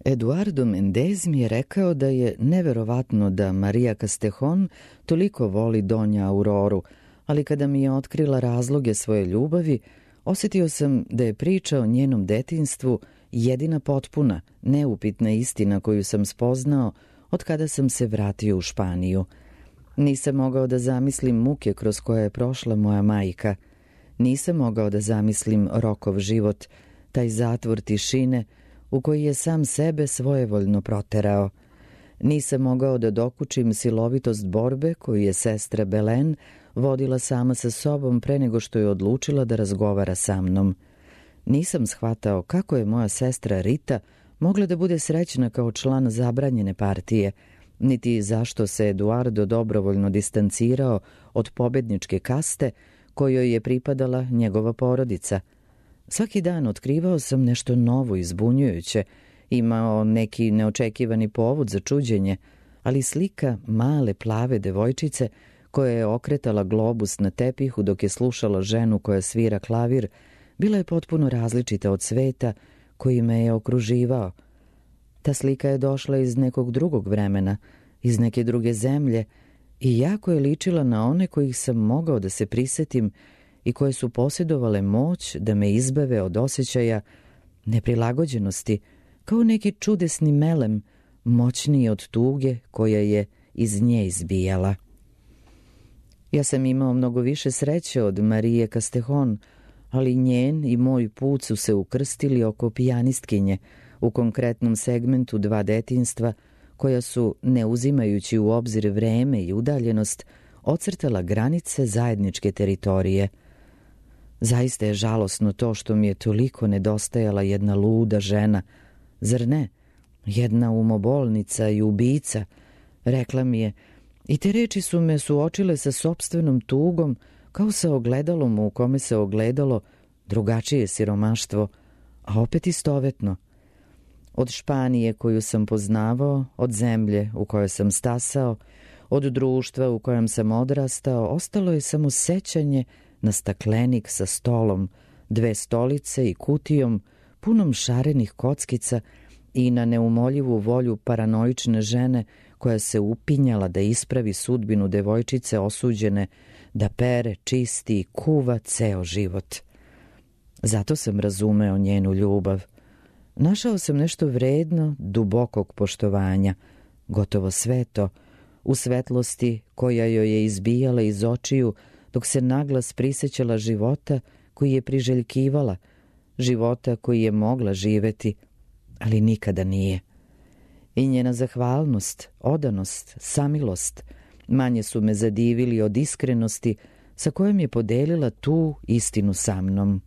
Eduardo Mendez mi je rekao da je neverovatno da Maria Castejón toliko voli Donja Auroru, ali kada mi je otkrila razloge svoje ljubavi, osjetio sam da je priča o njenom detinjstvu jedina potpuna, neupitna istina koju sam spoznao od kada sam se vratio u Španiju. Nisam mogao da zamislim muke kroz koje je prošla moja majka. Nisam mogao da zamislim Rokov život, taj zatvor tišine u koji je sam sebe svojevoljno proterao. Nisam mogao da dokučim silovitost borbe koju je sestra Belen vodila sama sa sobom pre nego što je odlučila da razgovara sa mnom. Nisam shvatao kako je moja sestra Rita mogla da bude srećna kao član zabranjene partije, niti zašto se Eduardo dobrovoljno distancirao od pobedničke kaste kojoj je pripadala njegova porodica. Svaki dan otkrivao sam nešto novo i zbunjujuće, imao neki neočekivani povod za čuđenje, ali slika male plave devojčice koja je okretala globus na tepihu dok je slušala ženu koja svira klavir, bila je potpuno različita od sveta koji me je okruživao. Ta slika je došla iz nekog drugog vremena, iz neke druge zemlje i jako je ličila na one kojih sam mogao da se prisetim i koje su posjedovale moć da me izbave od osjećaja neprilagođenosti, kao neki čudesni melem, moćniji od tuge koja je iz nje izbijala. Ja sam imao mnogo više sreće od Marije Castejón, ali njen i moj put su se ukrstili oko pijanistkinje u konkretnom segmentu dva detinjstva koja su, ne uzimajući u obzir vreme i udaljenost, ocrtala granice zajedničke teritorije. Zaista je žalosno to što mi je toliko nedostajala jedna luda žena, zar ne? Jedna umobolnica i ubica, rekla mi je, i te reči su me suočile sa sopstvenom tugom, kao sa ogledalom u kome se ogledalo drugačije siromaštvo, a opet istovetno. Od Španije koju sam poznavao, od zemlje u kojoj sam stasao, od društva u kojem sam odrastao, ostalo je samo sećanje na staklenik sa stolom, dve stolice i kutijom punom šarenih kockica i na neumoljivu volju paranoične žene koja se upinjala da ispravi sudbinu devojčice osuđene da pere, čisti i kuva ceo život. Zato sam razumeo njenu ljubav. Našao sam nešto vredno dubokog poštovanja, gotovo sveto, u svetlosti koja joj je izbijala iz očiju dok se naglas prisećala života koji je priželjkivala, života koji je mogla živeti, ali nikada nije. I njena zahvalnost, odanost, samilost manje su me zadivili od iskrenosti sa kojom je podelila tu istinu sa mnom.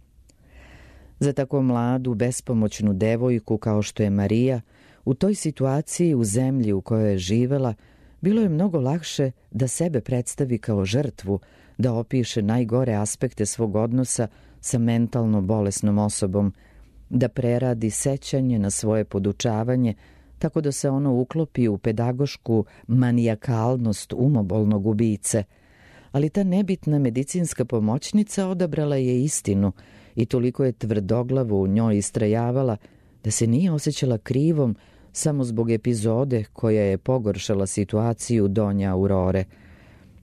Za tako mladu, bespomoćnu devojku kao što je Marija, u toj situaciji u zemlji u kojoj je živela, bilo je mnogo lakše da sebe predstavi kao žrtvu, da opiše najgore aspekte svog odnosa sa mentalno bolesnom osobom, da preradi sećanje na svoje podučavanje, tako da se ono uklopi u pedagošku manijakalnost umobolnog ubice. Ali ta nebitna medicinska pomoćnica odabrala je istinu i toliko je tvrdoglavo u njoj istrajavala da se nije osjećala krivom samo zbog epizode koja je pogoršala situaciju Donje Aurore.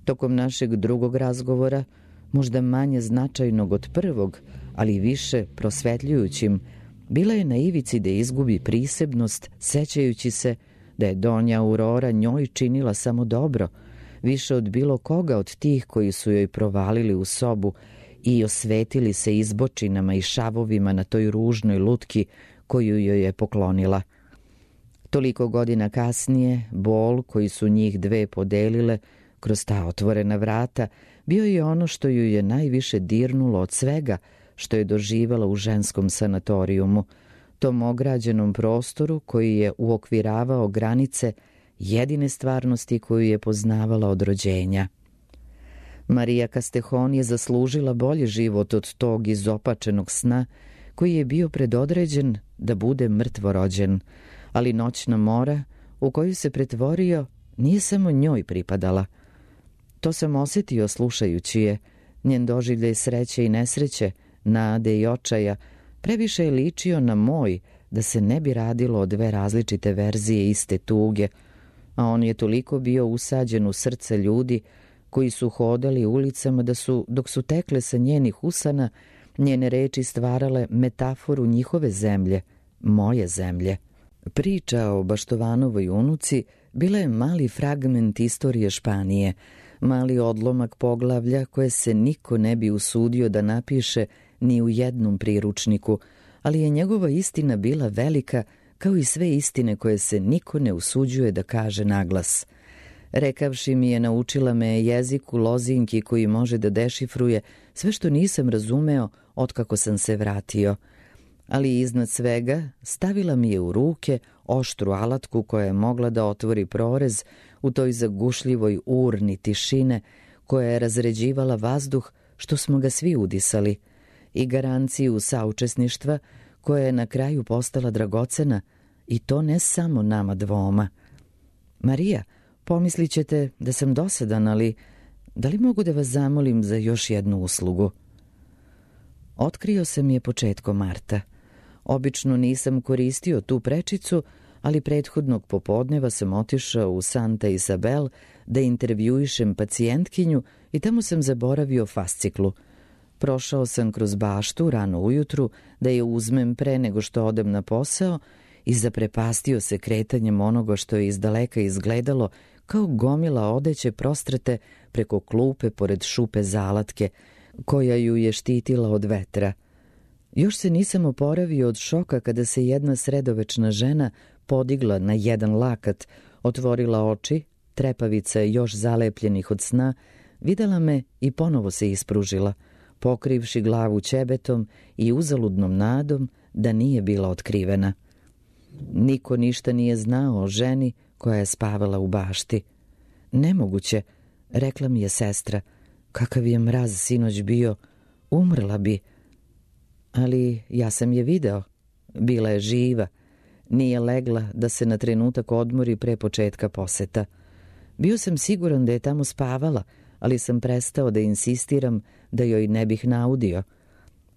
Tokom našeg drugog razgovora, možda manje značajnog od prvog, ali više prosvetljujućim, bila je na ivici da izgubi prisebnost, sećajući se da je Donja Aurora njoj činila samo dobro, više od bilo koga od tih koji su joj provalili u sobu i osvetili se izbočinama i šavovima na toj ružnoj lutki koju joj je poklonila. Toliko godina kasnije, bol koji su njih dve podelile kroz ta otvorena vrata bio je ono što ju je najviše dirnulo od svega što je doživala u ženskom sanatorijumu, tom ograđenom prostoru koji je uokviravao granice jedine stvarnosti koju je poznavala od rođenja. Marija Castejón je zaslužila bolji život od tog izopačenog sna koji je bio predodređen da bude mrtvorođen, ali noćna mora u koju se pretvorio nije samo njoj pripadala. To sam osjetio slušajući je, njen doživljaj sreće i nesreće, nade i očaja, previše je ličio na moj da se ne bi radilo o dve različite verzije iste tuge, a on je toliko bio usađen u srce ljudi koji su hodali ulicama dok su tekle sa njenih usana, njene reči stvarale metaforu njihove zemlje, moje zemlje. Priča o Baštovanovoj unuci bila je mali fragment istorije Španije, mali odlomak poglavlja koje se niko ne bi usudio da napiše ni u jednom priručniku, ali je njegova istina bila velika kao i sve istine koje se niko ne usuđuje da kaže naglas. Rekavši mi je, naučila me je jeziku lozinki koji može da dešifruje sve što nisam razumeo otkako sam se vratio. Ali iznad svega stavila mi je u ruke oštru alatku koja je mogla da otvori prorez u toj zagušljivoj urni tišine koja je razređivala vazduh što smo ga svi udisali i garanciju saučesništva koja je na kraju postala dragocena i to ne samo nama dvoma. Marija, pomislit ćete da sam dosadan, ali da li mogu da vas zamolim za još jednu uslugu? Otkrio sam je početkom marta. Obično nisam koristio tu prečicu, ali prethodnog popodneva sam otišao u Santa Isabel da intervjuišem pacijentkinju i tamo sam zaboravio fasciklu. Prošao sam kroz baštu rano ujutru da je uzmem pre nego što odem na posao i zaprepastio se kretanjem onoga što je izdaleka izgledalo kao gomila odeće prostrete preko klupe pored šupe zalatke koja ju je štitila od vetra. Još se nisam oporavio od šoka kada se jedna sredovečna žena podigla na jedan lakat, otvorila oči, trepavica još zalepljenih od sna, videla me i ponovo se ispružila, pokrivši glavu ćebetom i uzaludnom nadom da nije bila otkrivena. Niko ništa nije znao o ženi koja je spavala u bašti. Nemoguće, rekla mi je sestra, kakav je mraz sinoć bio, umrla bi. Ali ja sam je video, bila je živa, nije legla da se na trenutak odmori pre početka poseta. Bio sam siguran da je tamo spavala, ali sam prestao da insistiram da joj ne bih naudio.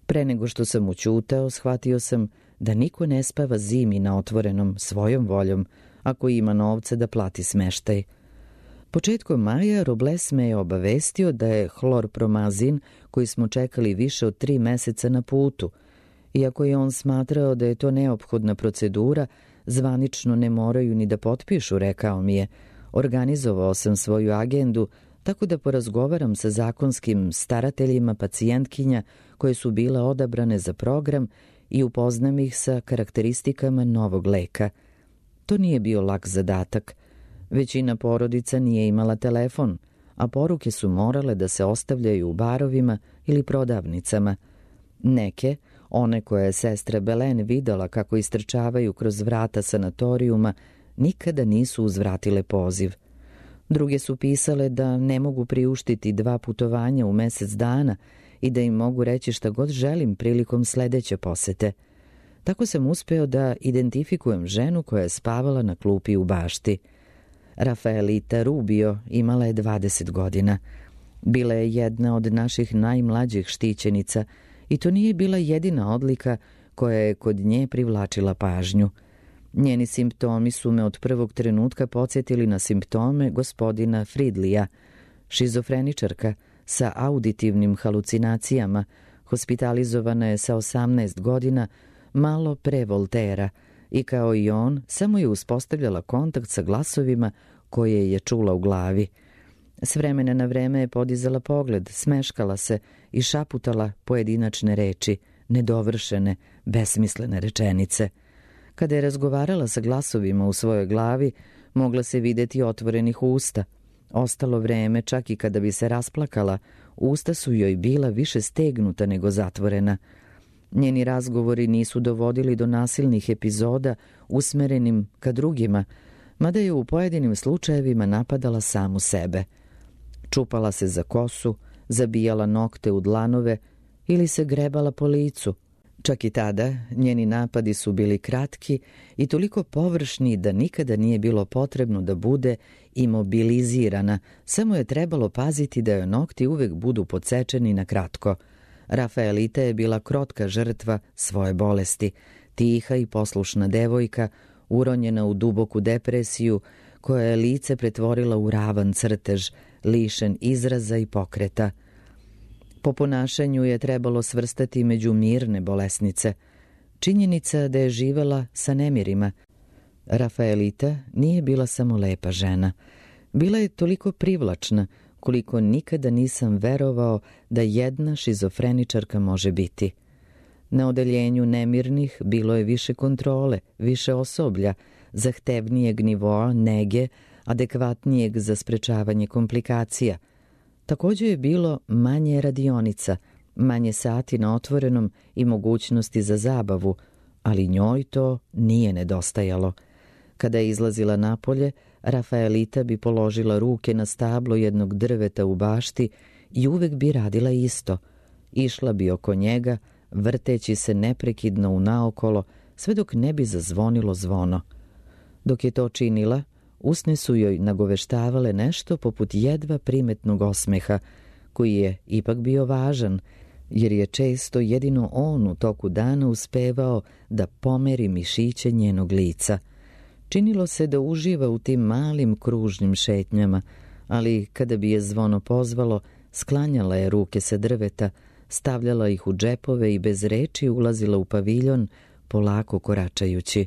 Pre nego što sam ućutao, shvatio sam da niko ne spava zimi na otvorenom svojom voljom, ako ima novca da plati smeštaj. Početkom maja Robles me je obavestio da je hlorpromazin, koji smo čekali više od 3 meseca na putu. Iako je on smatrao da je to neophodna procedura, zvanično ne moraju ni da potpišu, rekao mi je. Organizovao sam svoju agendu tako da porazgovaram sa zakonskim starateljima pacijentkinja koje su bile odabrane za program i upoznam ih sa karakteristikama novog leka. To nije bio lak zadatak. Većina porodica nije imala telefon, a poruke su morale da se ostavljaju u barovima ili prodavnicama. Neke, one koje je sestra Belen videla kako istrčavaju kroz vrata sanatorijuma, nikada nisu uzvratile poziv. Druge su pisale da ne mogu priuštiti 2 putovanja u mesec dana i da im mogu reći šta god želim prilikom sledeće posete. Tako sam uspeo da identifikujem ženu koja je spavala na klupi u bašti. Rafaelita Rubio imala je 20 godina. Bila je jedna od naših najmlađih štićenica i to nije bila jedina odlika koja je kod nje privlačila pažnju. Njeni simptomi su me od prvog trenutka podsjetili na simptome gospodina Fridlija, šizofreničarka sa auditivnim halucinacijama, hospitalizovana je sa 18 godina, malo pre Voltera, i kao i on, samo je uspostavljala kontakt sa glasovima koje je čula u glavi. S vremena na vreme je podizala pogled, smeškala se i šaputala pojedinačne reči, nedovršene, besmislene rečenice. Kada je razgovarala sa glasovima u svojoj glavi, mogla se videti otvorenih usta. Ostalo vreme, čak i kada bi se rasplakala, usta su joj bila više stegnuta nego zatvorena. Njeni razgovori nisu dovodili do nasilnih epizoda usmerenim ka drugima, mada je u pojedinim slučajevima napadala samu sebe. Čupala se za kosu, zabijala nokte u dlanove ili se grebala po licu. Čak i tada njeni napadi su bili kratki i toliko površni da nikada nije bilo potrebno da bude imobilizirana, samo je trebalo paziti da joj nokti uvek budu podsečeni na kratko. Rafaelita je bila krotka žrtva svoje bolesti. tiha i poslušna devojka, uronjena u duboku depresiju, koja je lice pretvorila u ravan crtež, lišen izraza i pokreta. Po ponašanju je trebalo svrstati među mirne bolesnice. Činjenica da je živela sa nemirima. Rafaelita nije bila samo lepa žena. Bila je toliko privlačna, koliko nikada nisam verovao da jedna šizofreničarka može biti. Na odeljenju nemirnih bilo je više kontrole, više osoblja, zahtevnijeg nivoa nege, adekvatnijeg za sprečavanje komplikacija. Također je bilo manje radionica, manje sati na otvorenom i mogućnosti za zabavu, ali njoj to nije nedostajalo. Kada je izlazila napolje, Rafaelita bi položila ruke na stablo jednog drveta u bašti i uvek bi radila isto. Išla bi oko njega, vrteći se neprekidno unaokolo, sve dok ne bi zazvonilo zvono. Dok je to činila, usne su joj nagoveštavale nešto poput jedva primetnog osmeha, koji je ipak bio važan, jer je često jedino on u toku dana uspevao da pomeri mišiće njenog lica. Činilo se da uživa u tim malim kružnim šetnjama, ali kada bi je zvono pozvalo, sklanjala je ruke sa drveta, stavljala ih u džepove i bez reči ulazila u paviljon, polako koračajući.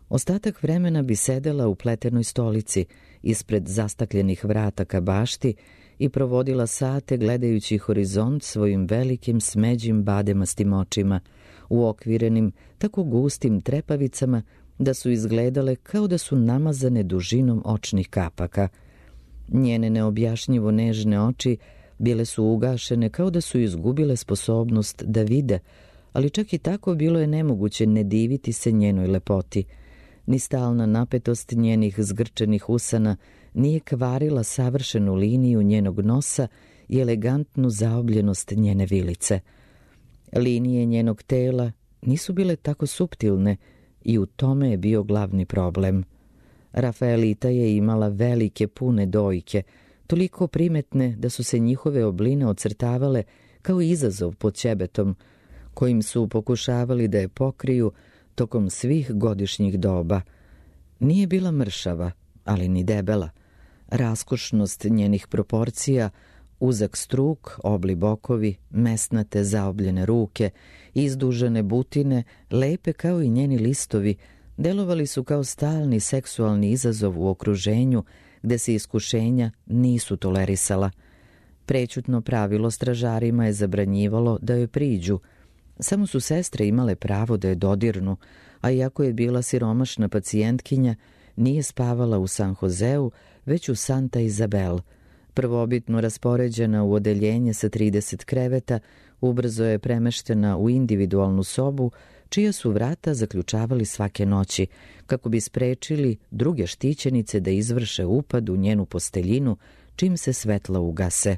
Ostatak vremena bi sedela u pletenoj stolici, ispred zastakljenih vrata ka bašti i provodila sate gledajući horizont svojim velikim smeđim bademastim očima, uokvirenim tako gustim trepavicama da su izgledale kao da su namazane dužinom očnih kapaka. Njene neobjašnjivo nežne oči bile su ugašene kao da su izgubile sposobnost da vide, ali čak i tako bilo je nemoguće ne diviti se njenoj lepoti. Ni stalna napetost njenih zgrčenih usana nije kvarila savršenu liniju njenog nosa i elegantnu zaobljenost njene vilice. Linije njenog tela nisu bile tako suptilne i u tome je bio glavni problem. Rafaelita je imala velike pune dojke, toliko primetne da su se njihove obline ocrtavale kao izazov pod ćebetom, kojim su pokušavali da je pokriju tokom svih godišnjih doba. Nije bila mršava, ali ni debela. Raskošnost njenih proporcija, uzak struk, obli bokovi, mesnate zaobljene ruke, izdužene butine, lepe kao i njeni listovi, delovali su kao stalni seksualni izazov u okruženju gde se iskušenja nisu tolerisala. Prećutno pravilo stražarima je zabranjivalo da joj priđu. Samo su sestre imale pravo da je dodirnu, a iako je bila siromašna pacijentkinja, nije spavala u San Joseu, već u Santa Izabel. Prvobitno raspoređena u odeljenje sa 30 kreveta, ubrzo je premeštena u individualnu sobu, čija su vrata zaključavali svake noći, kako bi sprečili druge štićenice da izvrše upad u njenu posteljinu čim se svetla ugase.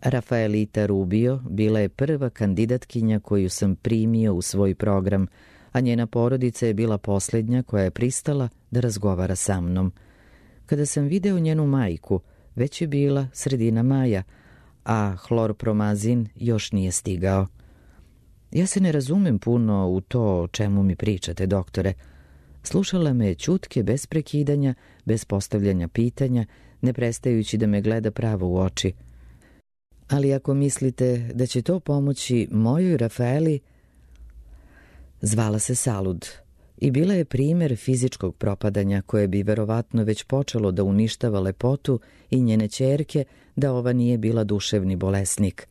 Rafaelita Rubio bila je prva kandidatkinja koju sam primio u svoj program, a njena porodica je bila posljednja koja je pristala da razgovara sa mnom. Kada sam video njenu majku, već je bila sredina maja, a hlorpromazin još nije stigao. Ja se ne razumem puno u to o čemu mi pričate, doktore. Slušala me je ćutke bez prekidanja, bez postavljanja pitanja, ne prestajući da me gleda pravo u oči. Ali ako mislite da će to pomoći mojoj Rafaeli... Zvala se Salud i bila je primer fizičkog propadanja koje bi verovatno već počelo da uništava lepotu i njene ćerke da ova nije bila duševni bolesnik.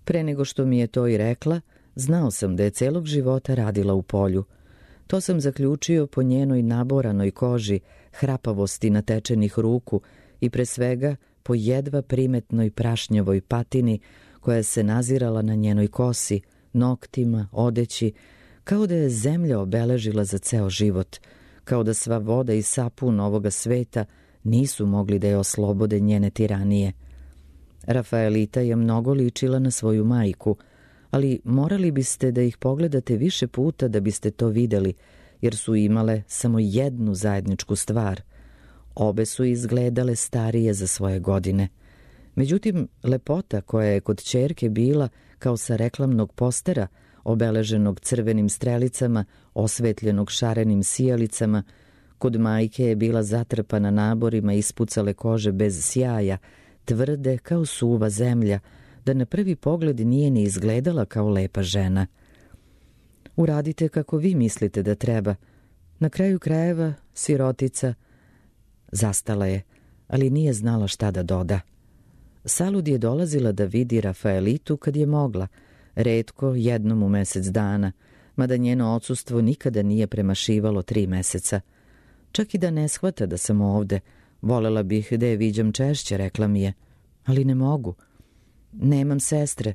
Pre nego što mi je to i rekla, znao sam da je celog života radila u polju. To sam zaključio po njenoj naboranoj koži, hrapavosti natečenih ruku i pre svega po jedva primetnoj prašnjavoj patini koja se nazirala na njenoj kosi, noktima, odeći, kao da je zemlja obeležila za ceo život, kao da sva voda i sapun ovoga sveta nisu mogli da je oslobode njene tiranije. Rafaelita je mnogo ličila na svoju majku, ali morali biste da ih pogledate više puta da biste to videli, jer su imale samo jednu zajedničku stvar. Obe su izgledale starije za svoje godine. Međutim, lepota koja je kod ćerke bila kao sa reklamnog postera obeleženog crvenim strelicama, osvetljenog šarenim sijalicama, kod majke je bila zatrpana naborima ispucale kože bez sjaja, tvrde kao suva zemlja, da na prvi pogled nije ni izgledala kao lepa žena. Uradite kako vi mislite da treba. Na kraju krajeva, sirotica. Zastala je, ali nije znala šta da doda. Salud je dolazila da vidi Rafaelitu kad je mogla, retko jednom u mesec dana, mada njeno odsustvo nikada nije premašivalo 3 meseca. Čak i da ne shvata da sam ovde, volela bih da je viđam češće, rekla mi je. Ali ne mogu. Nemam sestre,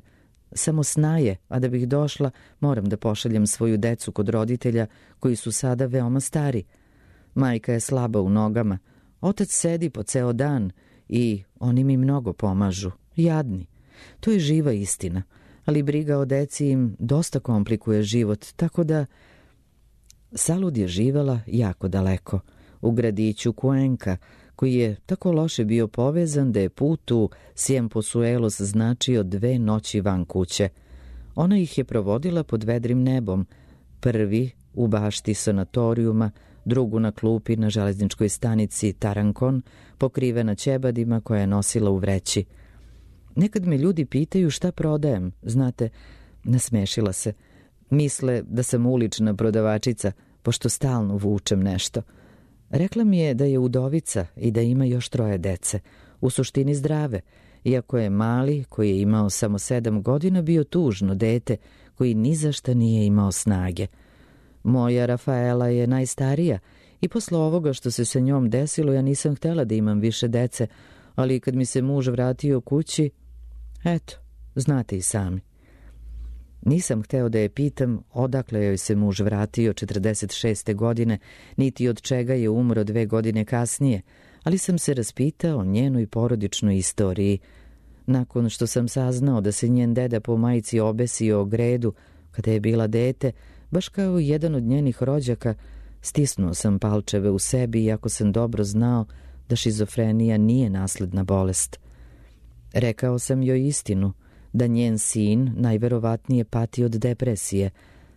samo snaje, a da bih došla, moram da pošaljem svoju decu kod roditelja koji su sada veoma stari. Majka je slaba u nogama, otac sedi po ceo dan i oni mi mnogo pomažu, jadni. To je živa istina, ali briga o deci im dosta komplikuje život, tako da... Salud je živela jako daleko, u gradiću Cuenca, koji je tako loše bio povezan da je put u Ciempozuelos značio 2 noći van kuće. Ona ih je provodila pod vedrim nebom, prvi u bašti sanatorijuma, drugu na klupi na železničkoj stanici Tarancon, pokrivena ćebadima koja je nosila u vreći. Nekad me ljudi pitaju šta prodajem, znate, nasmešila se. Misle da sam ulična prodavačica, pošto stalno vučem nešto. Rekla mi je da je udovica i da ima još 3 dece, u suštini zdrave, iako je mali, koji je imao samo 7 godina, bio tužno dete koji ni za šta nije imao snage. Moja Rafaela je najstarija i posle ovoga što se sa njom desilo ja nisam htela da imam više dece, ali kad mi se muž vratio kući, eto, znate i sami. Nisam hteo da je pitam odakle joj se muž vratio 46. godine, niti od čega je umro 2 godine kasnije, ali sam se raspitao o njenoj porodičnoj istoriji. Nakon što sam saznao da se njen deda po majici obesio o gredu kada je bila dete, baš kao jedan od njenih rođaka, stisnuo sam palčeve u sebi, iako sam dobro znao da šizofrenija nije nasledna bolest. Rekao sam joj istinu, da njen sin najverovatnije pati od depresije.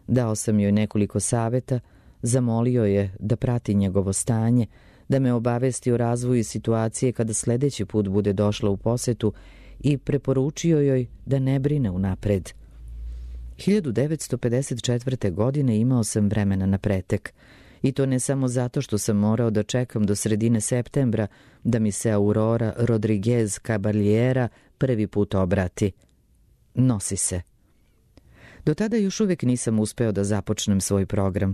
Dao sam joj nekoliko saveta, zamolio je da prati njegovo stanje, da me obavesti o razvoju situacije kada sledeći put bude došla u posetu i preporučio joj da ne brine unapred. 1954. godine imao sam vremena na pretek. I to ne samo zato što sam morao da čekam do sredine septembra da mi se Aurora Rodriguez Caballera prvi put obrati. Nosi se. Do tada još uvijek nisam uspeo da započnem svoj program.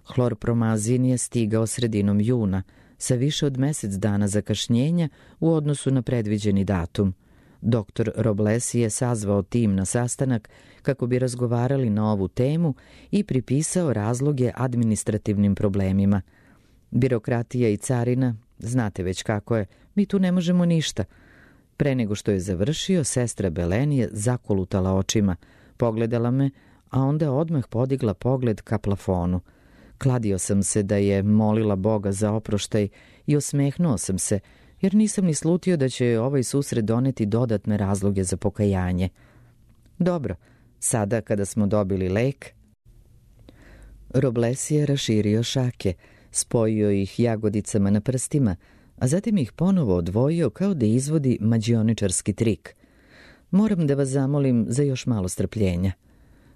Hlorpromazin je stigao sredinom juna, sa više od mesec dana zakašnjenja u odnosu na predviđeni datum. Dr. Robles je sazvao tim na sastanak kako bi razgovarali na ovu temu i pripisao razloge administrativnim problemima. Birokratija i carina, znate već kako je, mi tu ne možemo ništa. Pre nego što je završio, sestra Belen je zakolutala očima, pogledala me, a onda odmah podigla pogled ka plafonu. Kladio sam se da je molila Boga za oproštaj i osmehnuo sam se, jer nisam ni slutio da će ovaj susret doneti dodatne razloge za pokajanje. Dobro, sada kada smo dobili lek... Robles je raširio šake, spojio ih jagodicama na prstima, a zatim ih ponovo odvojio kao da izvodi mađioničarski trik. Moram da vas zamolim za još malo strpljenja.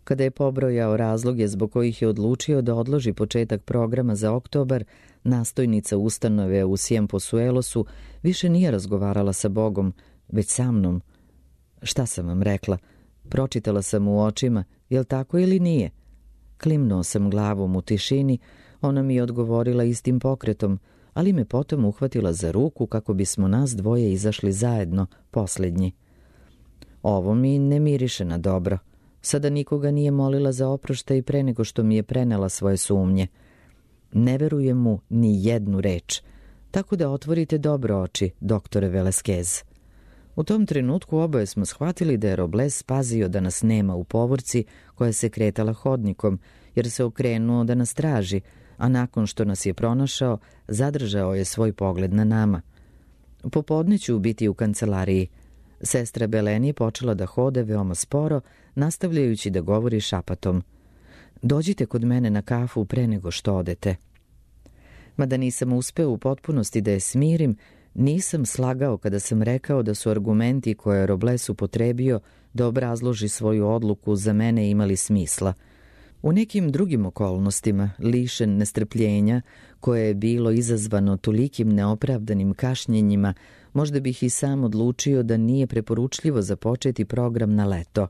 Kada je pobrojao razloge zbog kojih je odlučio da odloži početak programa za oktobar, nastojnica ustanove u Ciempozuelosu više nije razgovarala sa Bogom, već sa mnom. Šta sam vam rekla? Pročitala sam u očima, jel tako ili nije? Klimnuo sam glavom u tišini, ona mi je odgovorila istim pokretom, ali me potom uhvatila za ruku kako bismo nas dvoje izašli zajedno, posljednji. Ovo mi ne miriše na dobro. Sada nikoga nije molila za oproštaj pre nego što mi je prenela svoje sumnje. Ne verujem mu ni jednu reč, tako da otvorite dobro oči, doktore Velasquez. U tom trenutku oboje smo shvatili da je Robles pazio da nas nema u povorci koja se kretala hodnikom, jer se okrenuo da nas traži, a nakon što nas je pronašao, zadržao je svoj pogled na nama. Popodne ću biti u kancelariji. Sestra Belen je počela da hode veoma sporo, nastavljajući da govori šapatom. Dođite kod mene na kafu pre nego što odete. Mada nisam uspeo u potpunosti da je smirim, nisam slagao kada sam rekao da su argumenti koje je Robles upotrebio da obrazloži svoju odluku za mene imali smisla. U nekim drugim okolnostima, lišen nestrpljenja, koje je bilo izazvano tolikim neopravdanim kašnjenjima, možda bih i sam odlučio da nije preporučljivo započeti program na leto.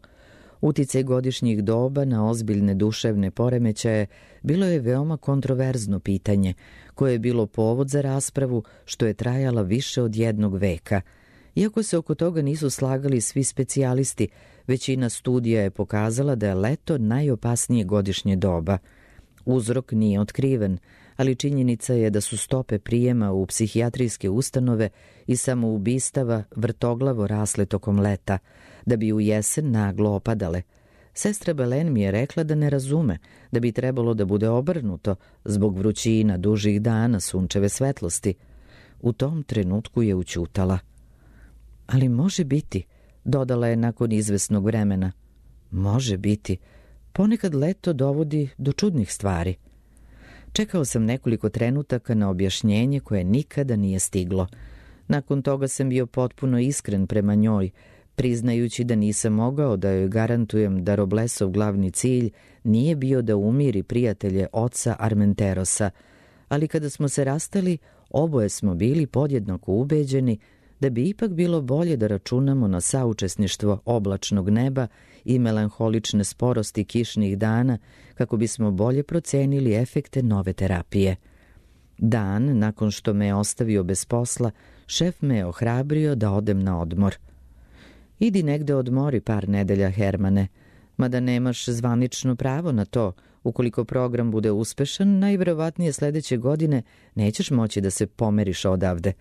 Uticaj godišnjih doba na ozbiljne duševne poremećaje bilo je veoma kontroverzno pitanje, koje je bilo povod za raspravu što je trajala više od 1 veka. Iako se oko toga nisu slagali svi specijalisti, većina studija je pokazala da je leto najopasnije godišnje doba. Uzrok nije otkriven, ali činjenica je da su stope prijema u psihijatrijske ustanove i samoubistava vrtoglavo rasle tokom leta, da bi u jesen naglo opadale. Sestra Belen mi je rekla da ne razume, da bi trebalo da bude obrnuto zbog vrućina, dužih dana, sunčeve svetlosti. U tom trenutku je ućutala. Ali može biti, dodala je nakon izvesnog vremena. Može biti. Ponekad leto dovodi do čudnih stvari. Čekao sam nekoliko trenutaka na objašnjenje koje nikada nije stiglo. Nakon toga sam bio potpuno iskren prema njoj, priznajući da nisam mogao da joj garantujem da Roblesov glavni cilj nije bio da umiri prijatelje oca Armenterosa, ali kada smo se rastali, oboje smo bili podjednako ubeđeni da bi ipak bilo bolje da računamo na saučesništvo oblačnog neba i melanholične sporosti kišnih dana kako bismo bolje procenili efekte nove terapije. Dan, nakon što me je ostavio bez posla, šef me je ohrabrio da odem na odmor. Idi negde odmori par nedelja, Hermane, mada nemaš zvanično pravo na to. Ukoliko program bude uspešan, najverovatnije sledeće godine nećeš moći da se pomeriš odavde.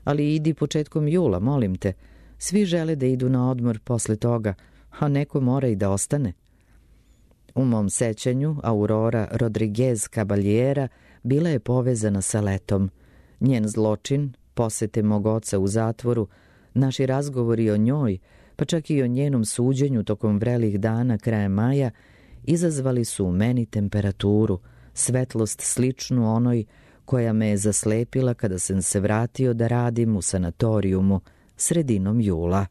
Ali idi početkom jula, molim te. Svi žele da idu na odmor posle toga, a neko mora i da ostane. U mom sećanju, Aurora Rodriguez Caballera bila je povezana sa letom. Njen zločin, posete mog oca u zatvoru, naši razgovori o njoj, pa čak i o njenom suđenju tokom vrelih dana krajem maja, izazvali su u meni temperaturu, svetlost sličnu onoj koja me je zaslepila kada sam se vratio da radim u sanatorijumu sredinom jula.